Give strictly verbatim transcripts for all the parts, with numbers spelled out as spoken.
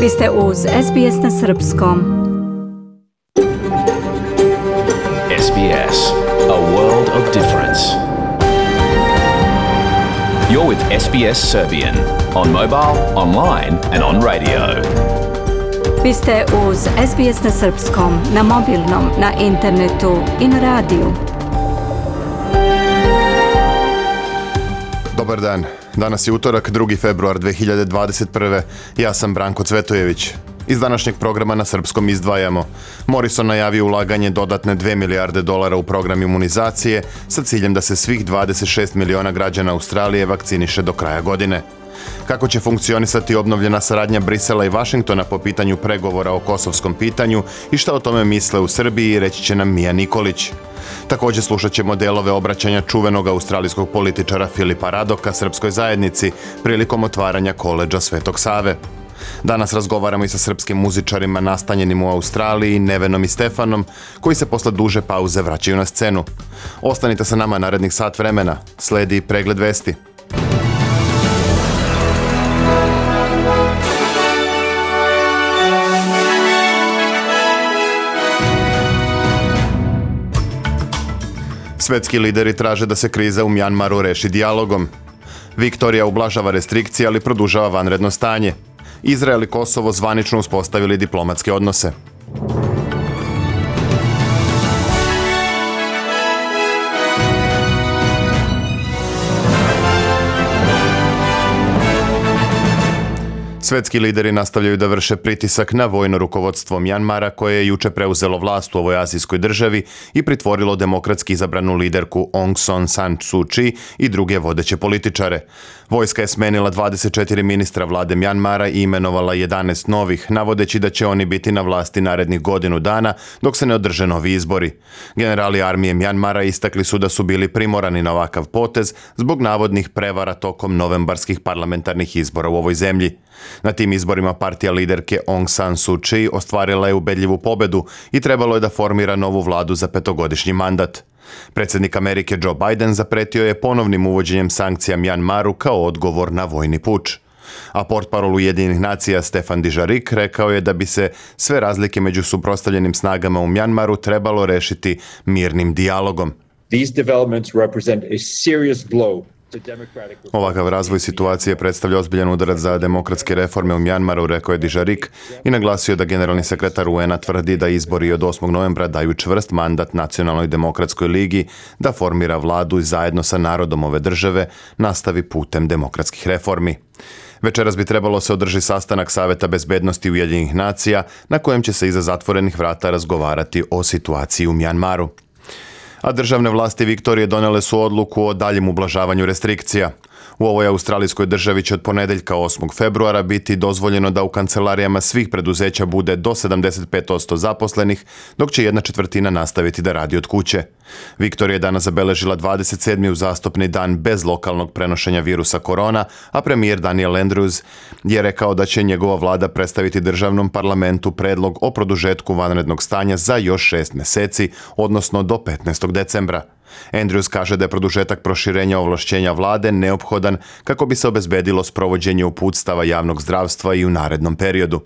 Vi ste uz S B S na srpskom. S B S, a world of difference. You're with S B S Serbian on mobile, online and on radio. Vi ste uz S B S na srpskom, na mobilnom, na internetu i na radiju. Dobar dan. Danas je utorak, drugi februar dve hiljade dvadeset prve. Ja sam Branko Cvetojević. Iz današnjeg programa na srpskom izdvajamo. Morrison najavio ulaganje dodatne dve milijarde dolara u program imunizacije sa ciljem da se svih dvadeset šest miliona građana Australije vakciniše do kraja godine. Kako će funkcionisati obnovljena saradnja Brisela i Vašingtona po pitanju pregovora o kosovskom pitanju i šta o tome misle u Srbiji, reći će nam Mija Nikolić. Također slušat ćemo delove obraćanja čuvenog australijskog političara Filipa Radoka srpskoj zajednici prilikom otvaranja koledža Svetog Save. Danas razgovaramo i sa srpskim muzičarima nastanjenim u Australiji, Nevenom i Stefanom, koji se posle duže pauze vraćaju na scenu. Ostanite sa nama narednih sat vremena. Sledi pregled vesti. Svetski lideri traže da se kriza u Mjanmaru reši dijalogom. Viktorija ublažava restrikcije, ali produžava vanredno stanje. Izrael i Kosovo zvanično uspostavili diplomatske odnose. Svetski lideri nastavljaju da vrše pritisak na vojno rukovodstvo Mjanmara, koje je juče preuzelo vlast u ovoj azijskoj državi i pritvorilo demokratski izabranu liderku Aung San Suu Kyi i druge vodeće političare. Vojska je smenila dvadeset četiri ministra vlade Mjanmara i imenovala jedanaest novih, navodeći da će oni biti na vlasti narednih godinu dana dok se ne održe novi izbori. Generali armije Mjanmara istakli su da su bili primorani na ovakav potez zbog navodnih prevara tokom novembarskih parlamentarnih izbora u ovoj zemlji. Na tim izborima partija liderke Aung San Suu Kyi ostvarila je ubedljivu pobedu i trebalo je da formira novu vladu za petogodišnji mandat. Predsjednik Amerike Joe Biden zapretio je ponovnim uvođenjem sankcija Mjanmaru kao odgovor na vojni puč. A portparol Ujedinjenih nacija Stefan Dujarric rekao je da bi se sve razlike među suprotstavljenim snagama u Mjanmaru trebalo rešiti mirnim dijalogom. These developments represent a serious blow. Ovakav razvoj situacije predstavlja ozbiljan udarac za demokratske reforme u Mjanmaru, rekao je Dujarric i naglasio da generalni sekretar U N-a tvrdi da izbori od osmog novembra daju čvrst mandat Nacionalnoj demokratskoj ligi da formira vladu i zajedno sa narodom ove države nastavi putem demokratskih reformi. Večeras bi trebalo se održi sastanak Saveta bezbednosti Ujedinjenih nacija na kojem će se iza zatvorenih vrata razgovarati o situaciji u Mjanmaru. A državne vlasti Viktorije donele su odluku o daljem ublažavanju restrikcija. U ovoj australijskoj državi će od ponedeljka osmog februara biti dozvoljeno da u kancelarijama svih preduzeća bude do sedamdeset pet posto zaposlenih, dok će jedna četvrtina nastaviti da radi od kuće. Viktorija je danas zabeležila dvadeset sedmi uzastopni dan bez lokalnog prenošenja virusa korona, a premijer Daniel Andrews je rekao da će njegova vlada predstaviti državnom parlamentu predlog o produžetku vanrednog stanja za još šest meseci, odnosno do petnaestog decembra. Andrews kaže da je produžetak proširenja ovlašćenja vlade neophodan kako bi se obezbedilo sprovođenje uputstava javnog zdravstva i u narednom periodu.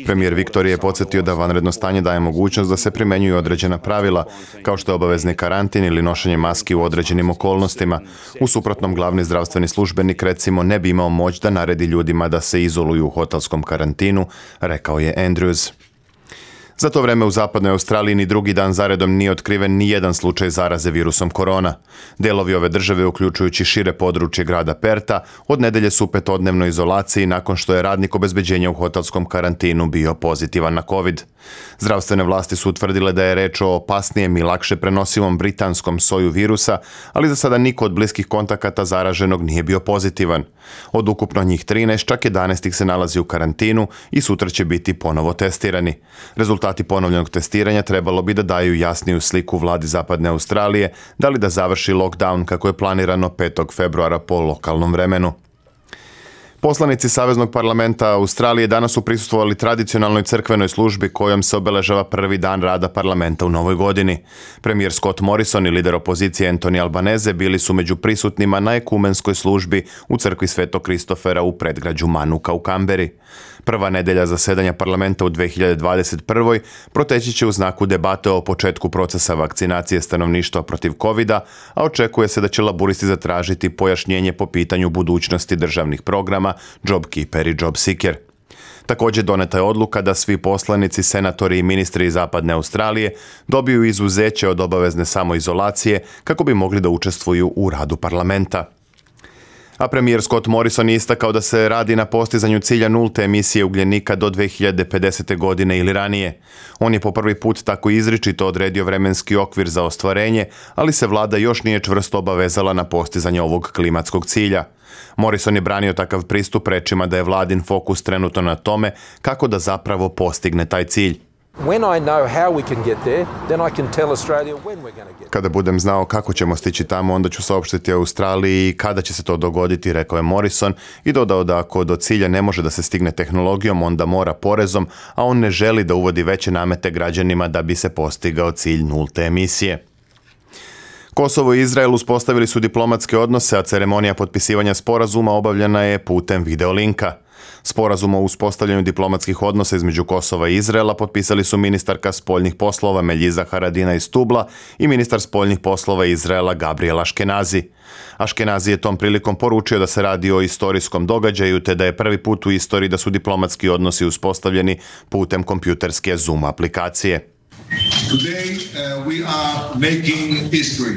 Premijer Viktorije je podsjetio da vanredno stanje daje mogućnost da se primenjuju određena pravila, kao što je obavezni karantin ili nošenje maski u određenim okolnostima. U suprotnom, glavni zdravstveni službenik recimo ne bi imao moć da naredi ljudima da se izoluju u hotelskom karantinu, rekao je Andrews. Za to vreme u zapadnoj Australiji ni drugi dan zaredom nije otkriven ni jedan slučaj zaraze virusom korona. Delovi ove države, uključujući šire područje grada Perta, od nedelje su u petodnevnoj izolaciji nakon što je radnik obezbeđenja u hotelskom karantinu bio pozitivan na COVID. Zdravstvene vlasti su utvrdile da je reč o opasnijem i lakše prenosivom britanskom soju virusa, ali za sada niko od bliskih kontakata zaraženog nije bio pozitivan. Od ukupno njih trinaest, čak jedanaest ih se nalazi u karantinu i sutra će biti ponovo testirani. Rezultati ponovljenog testiranja trebalo bi da daju jasniju sliku vladi Zapadne Australije, da li da završi lockdown kako je planirano petog februara po lokalnom vremenu. Poslanici Saveznog parlamenta Australije danas su prisustvovali tradicionalnoj crkvenoj službi kojom se obeležava prvi dan rada parlamenta u novoj godini. Premijer Scott Morrison i lider opozicije Anthony Albanese bili su među prisutnima na ekumenskoj službi u crkvi Svetog Kristofera u predgrađu Manuka u Kamberi. Prva nedelja zasedanja parlamenta u dve hiljade dvadeset prvoj proteći će u znaku debate o početku procesa vakcinacije stanovništva protiv kovida, a očekuje se da će laburisti zatražiti pojašnjenje po pitanju budućnosti državnih programa JobKeeper i JobSeeker. Također doneta je odluka da svi poslanici, senatori i ministri iz zapadne Australije dobiju izuzeće od obavezne samoizolacije kako bi mogli da učestvuju u radu parlamenta. A premijer Scott Morrison je istakao da se radi na postizanju cilja nulte emisije ugljenika do dve hiljade pedesete. godine ili ranije. On je po prvi put tako izričito odredio vremenski okvir za ostvarenje, ali se vlada još nije čvrsto obavezala na postizanje ovog klimatskog cilja. Morrison je branio takav pristup rečima da je vladin fokus trenutno na tome kako da zapravo postigne taj cilj. Kada budem znao kako ćemo stići tamo, onda ću saopštiti Australiji kada će se to dogoditi, rekao je Morrison i dodao da ako do cilja ne može da se stigne tehnologijom, onda mora porezom, a on ne želi da uvodi veće namete građanima da bi se postigao cilj nulte emisije. Kosovo i Izrael uspostavili su diplomatske odnose, a ceremonija potpisivanja sporazuma obavljena je putem videolinka. Sporazum o uspostavljanju diplomatskih odnosa između Kosova i Izraela potpisali su ministarka spoljnih poslova Meljiza Haradinaj Stubla i ministar spoljnih poslova Izraela Gabriel Ashkenazi. Ashkenazi je tom prilikom poručio da se radi o istorijskom događaju te da je prvi put u istoriji da su diplomatski odnosi uspostavljeni putem kompjuterske Zoom aplikacije. Today, uh, we are making history.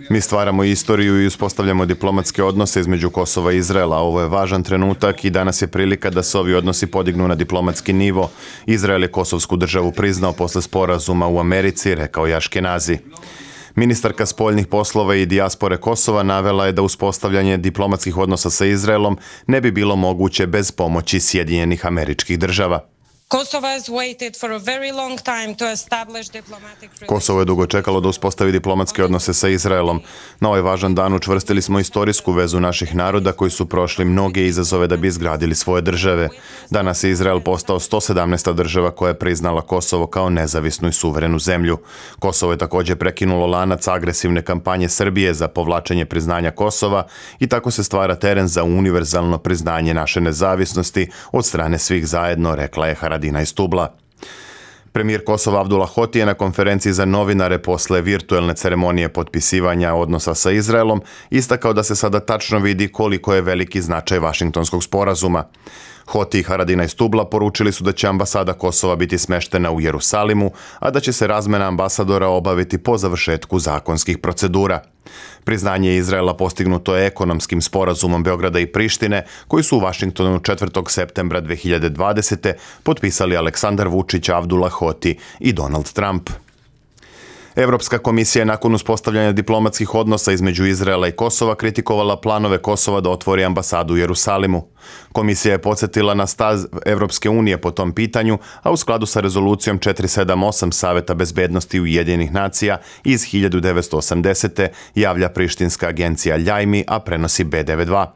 Mi stvaramo istoriju i uspostavljamo diplomatske odnose između Kosova i Izraela. Ovo je važan trenutak i danas je prilika da se ovi odnosi podignu na diplomatski nivo. Izrael je kosovsku državu priznao posle sporazuma u Americi, rekao je Ashkenazi. Ministarka spoljnih poslova i dijaspore Kosova navela je da uspostavljanje diplomatskih odnosa sa Izraelom ne bi bilo moguće bez pomoći Sjedinjenih Američkih Država. Kosovo je dugo čekalo da uspostavi diplomatske odnose sa Izraelom. Na ovaj važan dan učvrstili smo istorijsku vezu naših naroda koji su prošli mnoge izazove da bi izgradili svoje države. Danas je Izrael postao sto sedamnaesta država koja je priznala Kosovo kao nezavisnu i suverenu zemlju. Kosovo je također prekinulo lanac agresivne kampanje Srbije za povlačenje priznanja Kosova i tako se stvara teren za univerzalno priznanje naše nezavisnosti od strane svih zajedno, rekla je Haradinaj Stubla. Premijer Kosova Abdullah Hoti je na konferenciji za novinare posle virtuelne ceremonije potpisivanja odnosa sa Izraelom istakao da se sada tačno vidi koliko je veliki značaj Vašingtonskog sporazuma. Hoti i Haradinaj Stubla poručili su da će ambasada Kosova biti smeštena u Jerusalimu, a da će se razmena ambasadora obaviti po završetku zakonskih procedura. Priznanje Izraela postignuto je ekonomskim sporazumom Beograda i Prištine, koji su u Vašingtonu četvrtog septembra dve hiljade dvadesete. potpisali Aleksandar Vučić, Abdullah Hoti i Donald Trump. Evropska komisija je nakon uspostavljanja diplomatskih odnosa između Izraela i Kosova kritikovala planove Kosova da otvori ambasadu u Jerusalimu. Komisija je podsjetila na stav Evropske unije po tom pitanju, a u skladu sa rezolucijom četiri sedam osam Saveta bezbednosti Ujedinjenih nacija iz hiljadu devetsto osamdesete. javlja prištinska agencija Ljajmi, a prenosi B devedeset dva.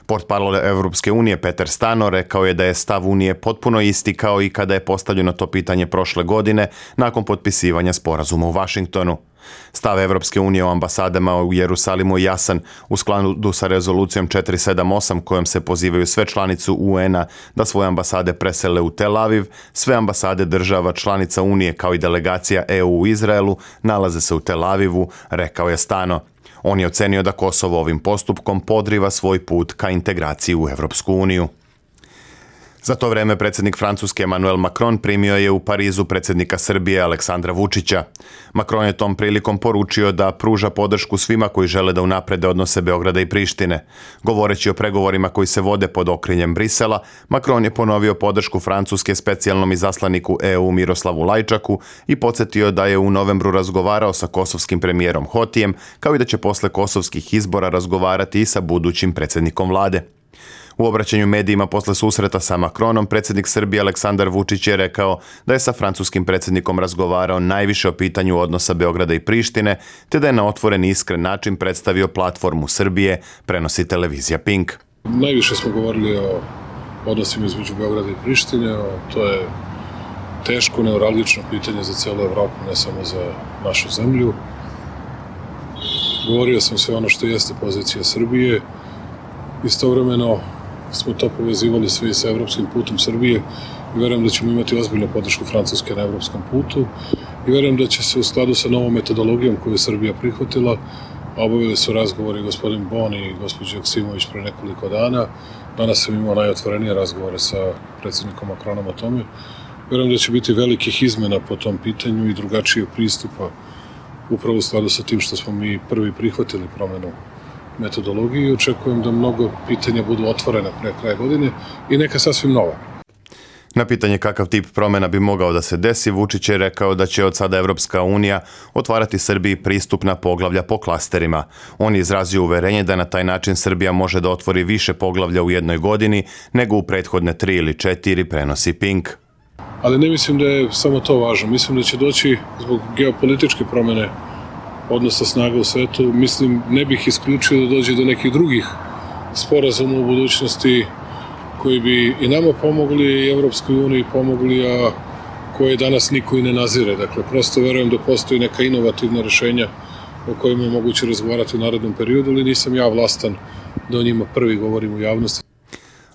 Portparol Evropske unije Peter Stano rekao je da je stav Unije potpuno isti kao i kada je postavljeno to pitanje prošle godine nakon potpisivanja sporazuma u Vašingtonu. Stav Evropske unije o ambasadama u Jerusalimu je jasan. U skladu sa rezolucijom četiri sedam osam kojom se pozivaju sve članice U N-a da svoje ambasade presele u Tel Aviv, sve ambasade država članica Unije kao i delegacija E U u Izraelu nalaze se u Tel Avivu, rekao je Stano. On je ocenio da Kosovo ovim postupkom podriva svoj put ka integraciji u Evropsku uniju. Za to vreme predsjednik Francuske Emmanuel Macron primio je u Parizu predsjednika Srbije Aleksandra Vučića. Macron je tom prilikom poručio da pruža podršku svima koji žele da unaprede odnose Beograda i Prištine. Govoreći o pregovorima koji se vode pod okriljem Brisela, Macron je ponovio podršku Francuske specijalnom izaslaniku E U Miroslavu Lajčaku i podsjetio da je u novembru razgovarao sa kosovskim premijerom Hotijem, kao i da će posle kosovskih izbora razgovarati i sa budućim predsjednikom vlade. U obraćanju medijima posle susreta sa Macronom, predsjednik Srbije Aleksandar Vučić je rekao da je sa francuskim predsjednikom razgovarao najviše o pitanju odnosa Beograda i Prištine, te da je na otvoren i iskren način predstavio platformu Srbije, prenosi televizija Pink. Najviše smo govorili o odnosima između Beograda i Prištine, to je teško, neuralgično pitanje za celu Evropu, ne samo za našu zemlju. Govorio sam sve ono što jeste pozicija Srbije. Istovremeno smo to povezivali svi sa evropskim putom Srbije i verujem da ćemo imati ozbiljnu podršku Francuske na evropskom putu i verujem da će se u skladu sa novom metodologijom koju je Srbija prihvatila, a obavili su razgovori gospodin Bon i gospođa Joksimović pre nekoliko dana. Danas sam imao najotvorenije razgovore sa predsjednikom Macronom o tome. Verujem da će biti velikih izmena po tom pitanju i drugačijeg pristupa upravo u skladu sa tim što smo mi prvi prihvatili promenu metodologije i očekujem da mnogo pitanja budu otvorena pre kraja godine i neka sasvim nova. Na pitanje kakav tip promjena bi mogao da se desi, Vučić je rekao da će od sada Evropska unija otvarati Srbiji pristupna poglavlja po klasterima. On je izrazio uverenje da na taj način Srbija može da otvori više poglavlja u jednoj godini nego u prethodne tri ili četiri, prenosi Pink. Ali ne mislim da je samo to važno. Mislim da će doći zbog geopolitičke promjene odnosa snaga u svetu. Mislim, ne bih isključio da dođe do nekih drugih sporazuma u budućnosti koji bi i nama pomogli i Evropskoj uniji pomogli, a koje danas niko i ne nazire. Dakle, prosto verujem da postoji neka inovativna rešenja o kojima je moguće razgovarati u narednom periodu, ali nisam ja vlastan da o njima prvi govorim u javnosti.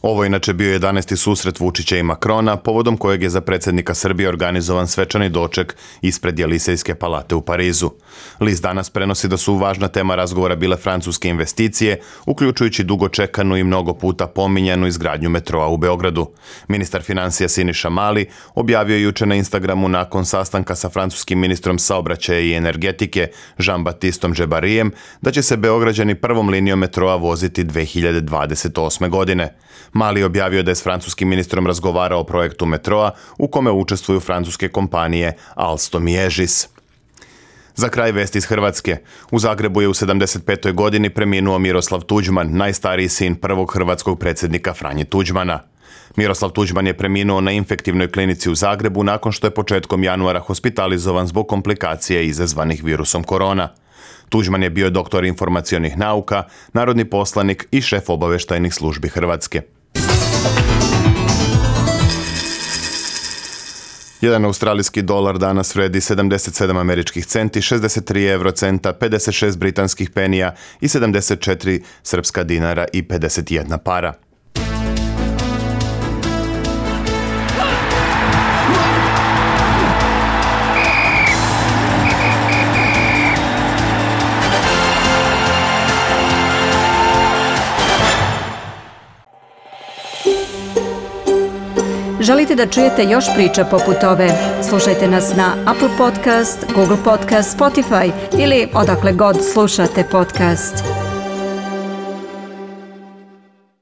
Ovo je inače bio jedanaesti susret Vučića i Macrona, povodom kojeg je za predsjednika Srbije organizovan svečani doček ispred Jelisejske palate u Parizu. List danas prenosi da su važna tema razgovora bile francuske investicije, uključujući dugo čekanu i mnogo puta pominjanu izgradnju metroa u Beogradu. Ministar financija Siniša Mali objavio juče na Instagramu nakon sastanka sa francuskim ministrom saobraćaja i energetike Jean-Baptistom Džebarijem da će se Beograđani prvom linijom metroa voziti dve hiljade dvadeset osme. godine. Mali je objavio da je s francuskim ministrom razgovarao o projektu metroa u kome učestvuju francuske kompanije Alstom i Egis. Za kraj vesti iz Hrvatske. U Zagrebu je u sedamdeset petoj godini preminuo Miroslav Tuđman, najstariji sin prvog hrvatskog predsjednika Franje Tuđmana. Miroslav Tuđman je preminuo na infektivnoj klinici u Zagrebu nakon što je početkom januara hospitalizovan zbog komplikacija izazvanih virusom korona. Tuđman je bio doktor informacionih nauka, narodni poslanik i šef obaveštajnih službi Hrvatske. Jedan australijski dolar danas vredi sedamdeset sedam američkih centi, šezdeset tri eurocenta, pedeset šest britanskih penija i sedamdeset četiri srpska dinara i pedeset jedna para. Želite da čujete još priča poput ove? Slušajte nas na Apple Podcast, Google Podcast, Spotify ili odakle god slušate podcast.